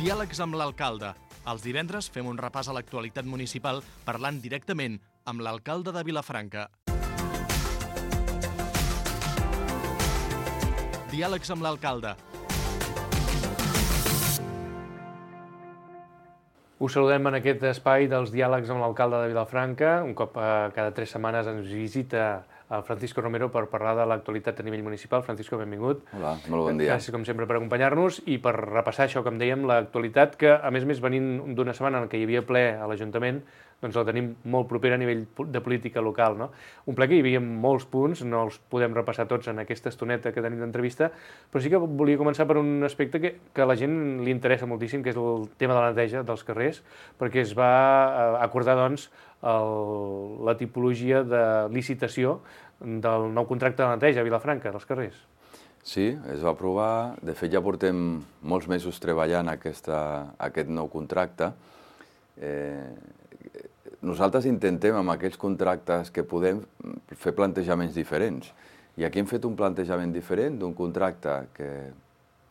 Diàlegs amb l'alcalde. Els divendres fem un repàs a l'actualitat municipal parlant directament amb l'alcalde de Vilafranca. Diàlegs amb l'alcalde. Us saludem en aquest espai dels diàlegs amb l'alcalde de Vilafranca. Un cop cada 3 setmanes ens visita el Francisco Romero per parlar de l'actualitat a nivell municipal. Francisco, benvingut. Hola, molt bon dia. Gràcies, com sempre, per acompanyar-nos i per repassar això, com dèiem, l'actualitat que, a més venint d'una setmana en què hi havia ple a l'Ajuntament, doncs la tenim molt propera a nivell de política local, no? Un ple que hi havia molts punts, no els podem repassar tots en aquesta estoneta que tenim d'entrevista, però sí que volia començar per un aspecte que a la gent li interessa moltíssim, que és el tema de la neteja dels carrers, perquè es va acordar, doncs, la tipologia de licitació del nou contracte de neteja a Vilafranca, dels carrers. Sí, es va aprovar. De fet, ja portem molts mesos treballant aquest nou contracte. Nosaltres intentem, amb aquells contractes que podem, fer plantejaments diferents. I aquí hem fet un plantejament diferent d'un contracte que,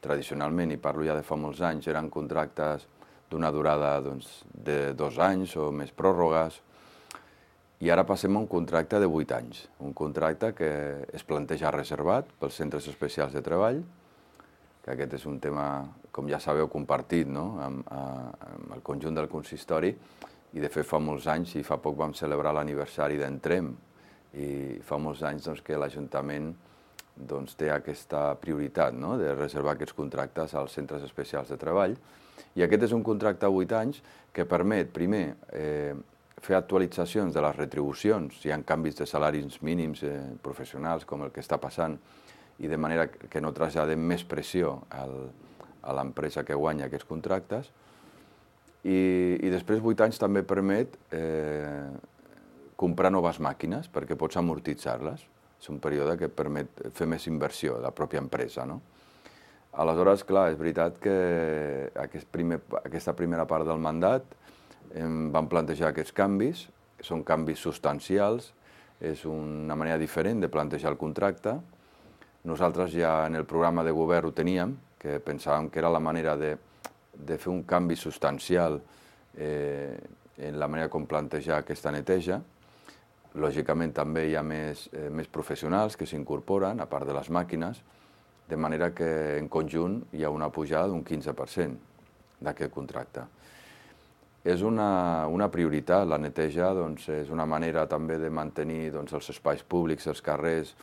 tradicionalment, i parlo ja de fa molts anys, eren contractes d'una durada de 2 anys o més pròrrogues, i ara passem a un contracte de 8 anys, un contracte que es planteja reservat pels centres especials de treball, que aquest és un tema, com ja sabeu, compartit, no?, amb el conjunt del consistori, i de fet fa molts anys, i fa poc vam celebrar l'aniversari d'Entrem, i fa molts anys que l'Ajuntament té aquesta prioritat, no?, de reservar aquests contractes als centres especials de treball, i aquest és un contracte a 8 anys que permet, primer, fer actualitzacions de les retribucions, si hi ha canvis de salaris mínims professionals, com el que està passant, i de manera que no traslladem més pressió a l'empresa que guanya aquests contractes. I després 8 anys també permet comprar noves màquines, perquè pots amortitzar-les. És un període que permet fer més inversió de la pròpia empresa, no? Aleshores, clar, és veritat que aquesta primera part del mandat vam plantejar aquests canvis, que són canvis substancials, és una manera diferent de plantejar el contracte. Nosaltres ja en el programa de govern ho teníem, que pensàvem que era la manera de fer un canvi substancial en la manera com plantejar aquesta neteja. Lògicament també hi ha més professionals que s'incorporen, a part de les màquines, de manera que en conjunt hi ha una pujada d'un 15% d'aquest contracte. És una prioritat, la neteja és una manera també de mantenir els espais públics, els carrers,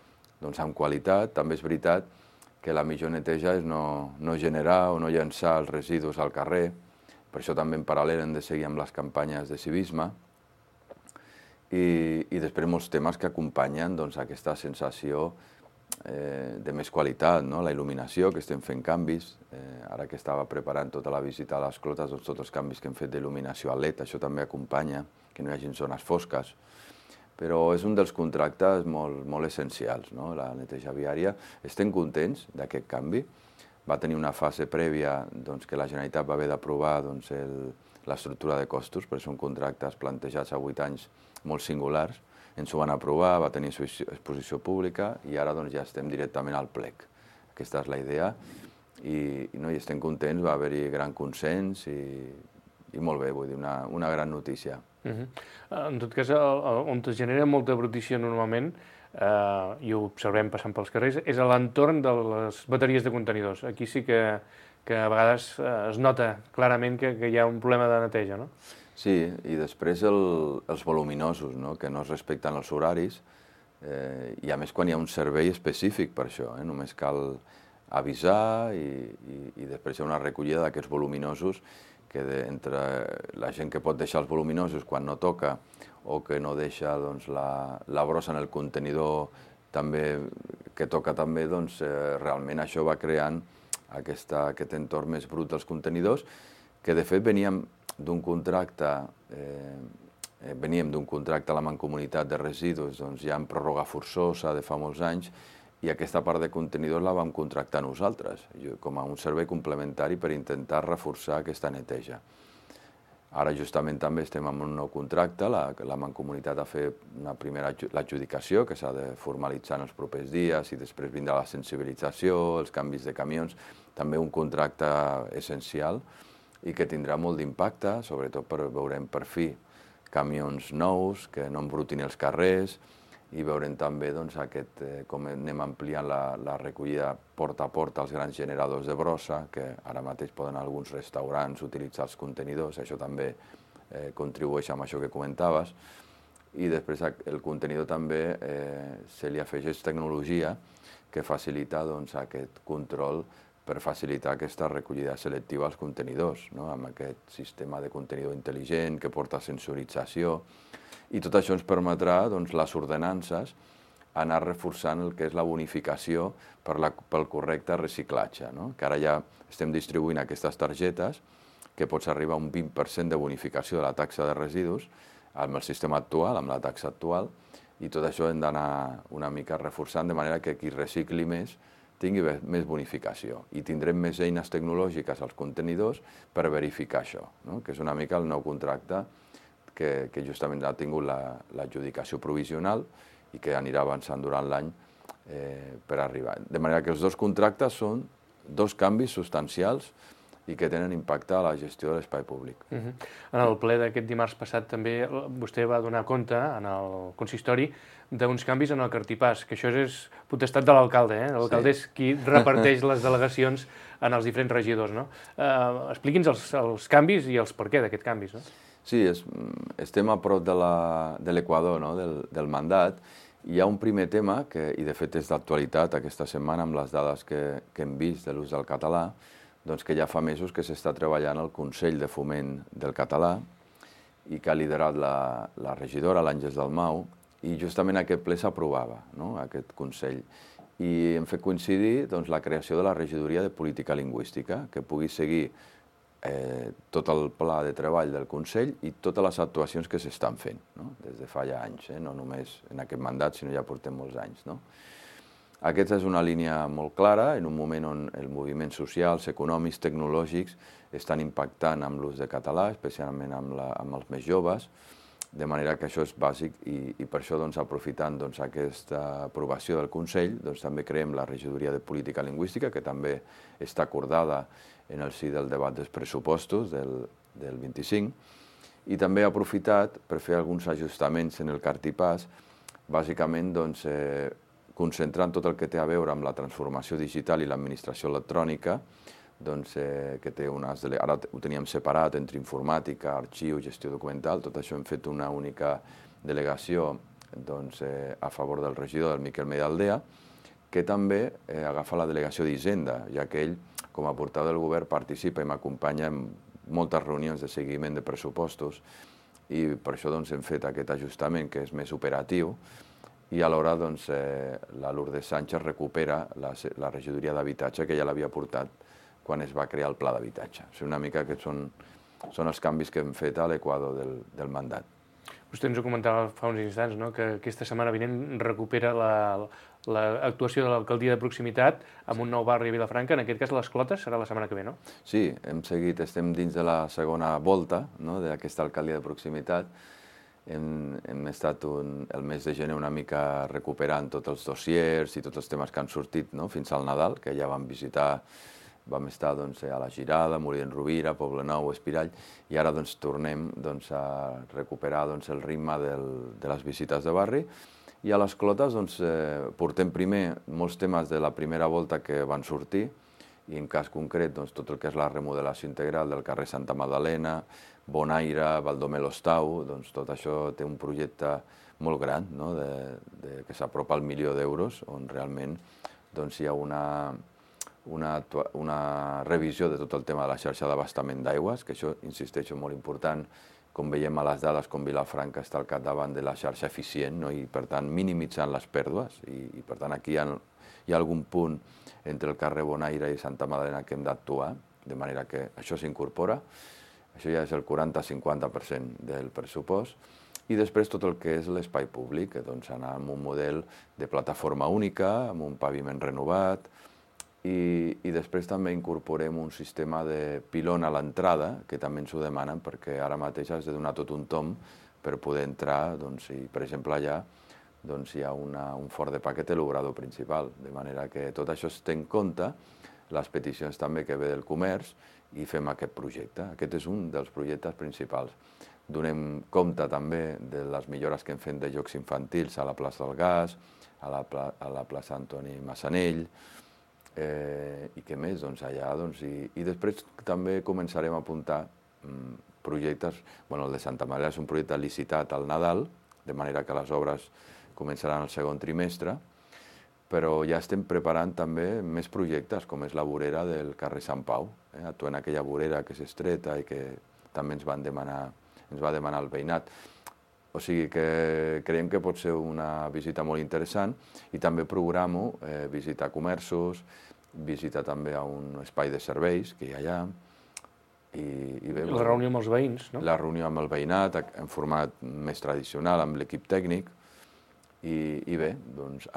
amb qualitat. També és veritat que la millor neteja és no generar o no llançar els residus al carrer, per això també en paral·lel hem de seguir amb les campanyes de civisme, i després molts temes que acompanyen aquesta sensació de més qualitat, no? La il·luminació, que estem fent canvis, ara que estava preparant tota la visita a les clotes, tots els canvis que hem fet d'il·luminació a LED, això també acompanya, que no hi hagi zones fosques, però és un dels contractes molt essencials, no? La neteja viària. Estem contents d'aquest canvi. Va tenir una fase prèvia que la Generalitat va haver d'aprovar l'estructura de costos, perquè són contractes plantejats a 8 anys molt singulars. Ens ho van aprovar, va tenir exposició pública i ara ja estem directament al plec. Aquesta és la idea i estem contents, va haver-hi gran consens i molt bé, vull dir, una gran notícia. En tot cas, on es genera molta brutícia normalment, i ho observem passant pels carrers, és a l'entorn de les bateries de contenidors. Aquí sí que a vegades es nota clarament que hi ha un problema de neteja, no? Sí, i després els voluminosos, que no es respecten els horaris, i a més quan hi ha un servei específic per això, només cal avisar i després hi ha una recollida d'aquests voluminosos que entre la gent que pot deixar els voluminosos quan no toca o que no deixa la brossa en el contenidor que toca també, realment això va creant aquest entorn més brut dels contenidors, que de fet veníem d'un contracte a la Mancomunitat de Residus ja en pròrroga forçosa de fa molts anys, i aquesta part de contenidors la vam contractar nosaltres, com a un servei complementari per intentar reforçar aquesta neteja. Ara justament també estem en un nou contracte, la Mancomunitat ha fet una primera l'adjudicació, que s'ha de formalitzar en els propers dies, i després vindrà la sensibilització, els canvis de camions, també un contracte essencial, i que tindrà molt d'impacte, sobretot veurem per fi camions nous que no embrutin els carrers i veurem també com anem ampliant la recollida porta a porta als grans generadors de brossa, que ara mateix poden alguns restaurants utilitzar els contenidors, això també contribueix amb això que comentaves. I després el contenidor també se li afegeix tecnologia que facilita aquest control per facilitar aquesta recollida selectiva als contenidors, amb aquest sistema de contenidor intel·ligent que porta sensorització. I tot això ens permetrà, les ordenances, anar reforçant el que és la bonificació pel correcte reciclatge, que ara ja estem distribuint aquestes targetes que pots arribar a un 20% de bonificació de la taxa de residus amb el sistema actual, amb la taxa actual, i tot això hem d'anar una mica reforçant de manera que qui recicli més tingui més bonificació i tindrem més eines tecnològiques als contenidors per verificar això, que és una mica el nou contracte que justament ha tingut l'adjudicació provisional i que anirà avançant durant l'any per arribar. De manera que els dos contractes són dos canvis substancials i que tenen impacte a la gestió de l'espai públic. En el ple d'aquest dimarts passat també vostè va donar compte en el consistori d'uns canvis en el cartipàs, que això és potestat de l'alcalde, l'alcalde és qui reparteix les delegacions en els diferents regidors. Expliqui'ns els canvis i els per què d'aquests canvis. Sí, estem a prop de l'equador del mandat. Hi ha un primer tema, i de fet és d'actualitat aquesta setmana amb les dades que hem vist de l'ús del català, que ja fa mesos que s'està treballant al Consell de Foment del Català i que ha liderat la regidora, l'Àngels Dalmau, i justament aquest ple s'aprovava, aquest Consell. I hem fet coincidir la creació de la regidoria de política lingüística, que pugui seguir tot el pla de treball del Consell i totes les actuacions que s'estan fent, des de fa ja anys, no només en aquest mandat, sinó ja portem molts anys. Aquesta és una línia molt clara, en un moment on els moviments socials, econòmics, tecnològics estan impactant amb l'ús de català, especialment amb els més joves, de manera que això és bàsic i per això, aprofitant aquesta aprovació del Consell, també creem la regidoria de política lingüística, que també està acordada en el si del debat dels pressupostos del 25, i també ha aprofitat per fer alguns ajustaments en el cartipàs, bàsicament concentrant tot el que té a veure amb la transformació digital i l'administració electrònica, que té ara ho teníem separat entre informàtica, arxiu, gestió documental, tot això hem fet una única delegació a favor del regidor, del Miquel Medialdea, que també agafa la delegació d'Hisenda, ja que ell, com a portaveu del govern, participa i m'acompanya en moltes reunions de seguiment de pressupostos i per això hem fet aquest ajustament que és més operatiu i alhora la Lourdes Sánchez recupera la regidoria d'habitatge que ja l'havia portat quan es va crear el pla d'habitatge. Una mica aquests són els canvis que hem fet a l'equador del mandat. Vostè ens ho comentava fa uns instants, que aquesta setmana vinent recupera l'actuació de l'alcaldia de proximitat amb un nou barri a Vilafranca, en aquest cas les Clotes, serà la setmana que ve, no? Sí, estem dins de la segona volta d'aquesta alcaldia de proximitat. Hem estat el mes de gener una mica recuperant tots els dossiers i tots els temes que han sortit fins al Nadal, que ja vam visitar. Vam estar a la Girada, Molí d'en Rovira, Poblenou, Espirall, i ara tornem a recuperar el ritme de les visites de barri. I a les Clotes portem primer molts temes de la primera volta que van sortir, i en cas concret tot el que és la remodelació integral del carrer Santa Magdalena, Bonaire, Baldomer l'Hostau, tot això té un projecte molt gran, que s'apropa al 1 milió d'euros, on realment hi ha una revisió de tot el tema de la xarxa d'abastament d'aigües, que això, insisteixo, molt important, com veiem a les dades, com Vilafranca està al capdavant de la xarxa eficient i, per tant, minimitzant les pèrdues. I per tant, aquí hi ha algun punt entre el carrer Bonaire i Santa Magdalena que hem d'actuar, de manera que això s'incorpora. Això ja és el 40-50% del pressupost. I després tot el que és l'espai públic, anar amb un model de plataforma única, amb un paviment renovat, i després també incorporem un sistema de pilon a l'entrada, que també ens ho demanen, perquè ara mateix has de donar tot un tom per poder entrar, i per exemple allà hi ha un fort de paquet a l'obrador principal, de manera que tot això es té en compte les peticions també que ve del comerç i fem aquest projecte. Aquest és un dels projectes principals. Donem compte també de les millores que hem fet de jocs infantils a la plaça del Gas, a la plaça Antoni Massanell, i què més, doncs allà, i després també començarem a apuntar projectes, bueno, el de Santa Maria és un projecte licitat al Nadal, de manera que les obres començaran al segon trimestre, però ja estem preparant també més projectes, com és la vorera del carrer Sant Pau, actuant aquella vorera que és estreta i que també ens va demanar el veïnat. O sigui que creiem que pot ser una visita molt interessant i també programo visitar comerços, visitar també a un espai de serveis que hi ha allà. I la reunió amb els veïns, no? La reunió amb el veïnat en format més tradicional, amb l'equip tècnic. I bé, doncs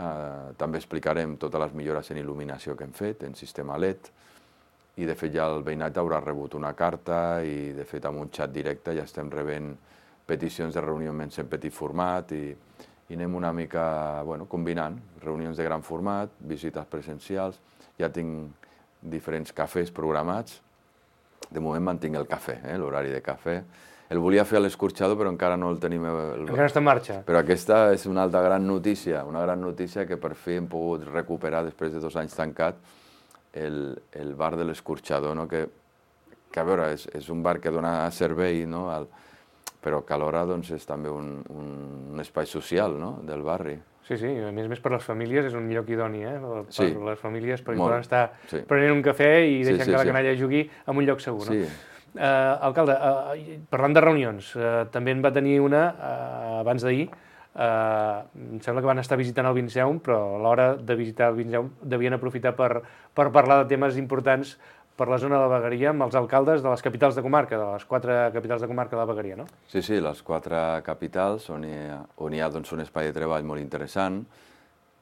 també explicarem totes les millores en il·luminació que hem fet, en sistema LED, i de fet ja el veïnat haurà rebut una carta i de fet amb un xat directe ja estem rebent peticions de reunió en petit format i anem una mica combinant reunions de gran format, visites presencials, ja tinc diferents cafès programats, de moment mantinc el cafè, l'horari de cafè. El volia fer a l'escorxador, però encara no el tenim... Encara està en marxa. Però aquesta és una altra gran notícia que per fi hem pogut recuperar després de 2 anys tancat, el bar de l'escorxador, que a veure, és un bar que dona servei, però que alhora és també un espai social del barri. Sí, a més per les famílies és un lloc idoni, per les famílies, perquè poden estar prenent un cafè i deixant que la canalla jugui en un lloc segur. Alcalde, parlant de reunions, també en va tenir una abans d'ahir. Em sembla que van estar visitant el Vinceum, però a l'hora de visitar el Vinceum devien aprofitar per parlar de temes importants per la zona de la Vegueria amb els alcaldes de les capitals de comarca, de les 4 capitals de comarca de la Vegueria, no? Sí, les 4 capitals on hi ha un espai de treball molt interessant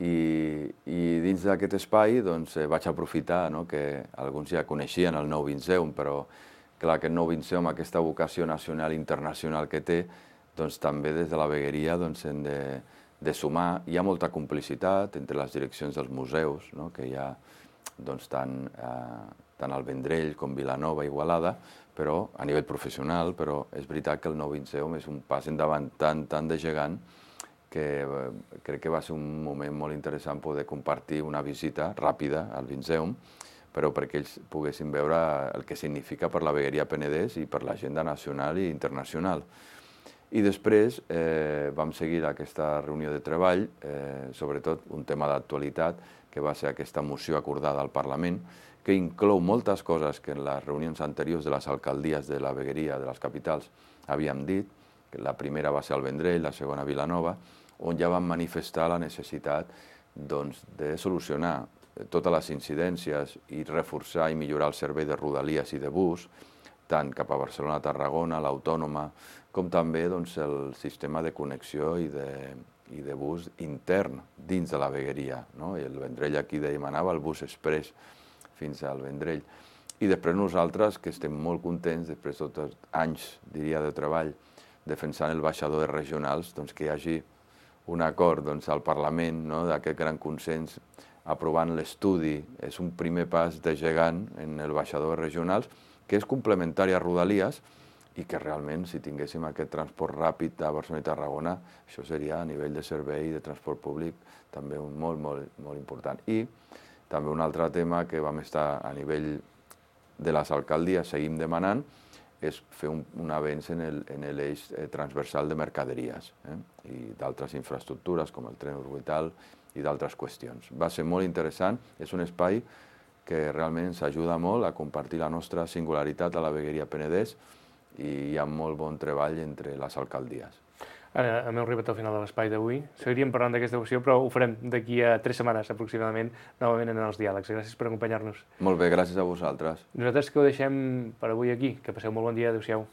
i dins d'aquest espai vaig aprofitar que alguns ja coneixien el nou Vinceum, però clar, aquest nou Vinceum, aquesta vocació nacional i internacional que té, també des de la Vegueria hem de sumar. Hi ha molta complicitat entre les direccions dels museus, que hi ha tant al Vendrell com Vilanova i Igualada, però a nivell professional, però és veritat que el nou Vinceum és un pas endavant tan de gegant que crec que va ser un moment molt interessant poder compartir una visita ràpida al Vinceum, però perquè ells poguessin veure el que significa per la Vegueria Penedès i per l'agenda nacional i internacional. I després vam seguir aquesta reunió de treball, sobretot un tema d'actualitat, que va ser aquesta moció acordada al Parlament, que inclou moltes coses que en les reunions anteriors de les alcaldies de la Vegueria, de les capitals, havíem dit. La primera va ser al Vendrell, la segona a Vilanova, on ja vam manifestar la necessitat de solucionar totes les incidències i reforçar i millorar el servei de rodalies i de bus, tant cap a Barcelona, Tarragona, l'Autònoma, com també el sistema de connexió i de bus intern dins de la Vegueria. I el Vendrell aquí demanava el bus express fins al Vendrell. I després nosaltres, que estem molt contents, després de tots anys, diria, de treball, defensant el baixador de regionals, que hi hagi un acord al Parlament d'aquest gran consens aprovant l'estudi. És un primer pas de gegant en el baixador de regionals, que és complementari a Rodalies i que realment, si tinguéssim aquest transport ràpid a Barcelona i Tarragona, això seria a nivell de servei de transport públic també molt important. I també un altre tema que vam estar a nivell de les alcaldies, seguim demanant, és fer un avenç en l'eix transversal de mercaderies i d'altres infraestructures com el tren orbital i d'altres qüestions. Va ser molt interessant, és un espai que realment ens ajuda molt a compartir la nostra singularitat a la Vegueria Penedès i hi ha molt bon treball entre les alcaldies. Ara hem arribat al final de l'espai d'avui. Seguiríem parlant d'aquesta qüestió, però ho farem d'aquí a 3 setmanes aproximadament, novament en els diàlegs. Gràcies per acompanyar-nos. Molt bé, gràcies a vosaltres. Nosaltres que ho deixem per avui aquí. Que passeu molt bon dia. Adéu-siau.